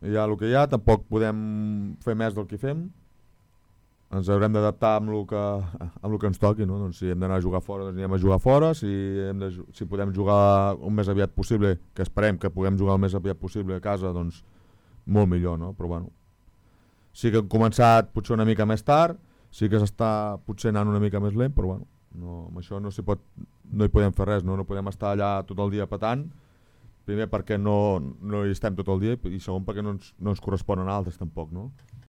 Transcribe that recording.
hi ha el que hi ha, tampoc podem fer més del que fem, ens haurem d'adaptar amb el que ens toqui, no? Doncs si hem d'anar a jugar fora, doncs anem a jugar fora, si podem jugar el més aviat possible, que esperem que puguem jugar el més aviat possible a casa, doncs molt millor, no? Però bueno, sí que hem començat potser una mica més tard, sí que s'està potser anant una mica més lent, però bueno, no, amb això no hi podem fer res, no podem estar allà tot el dia petant, primer perquè no hi estem tot el dia i segon perquè no ens corresponen altres tampoc, no?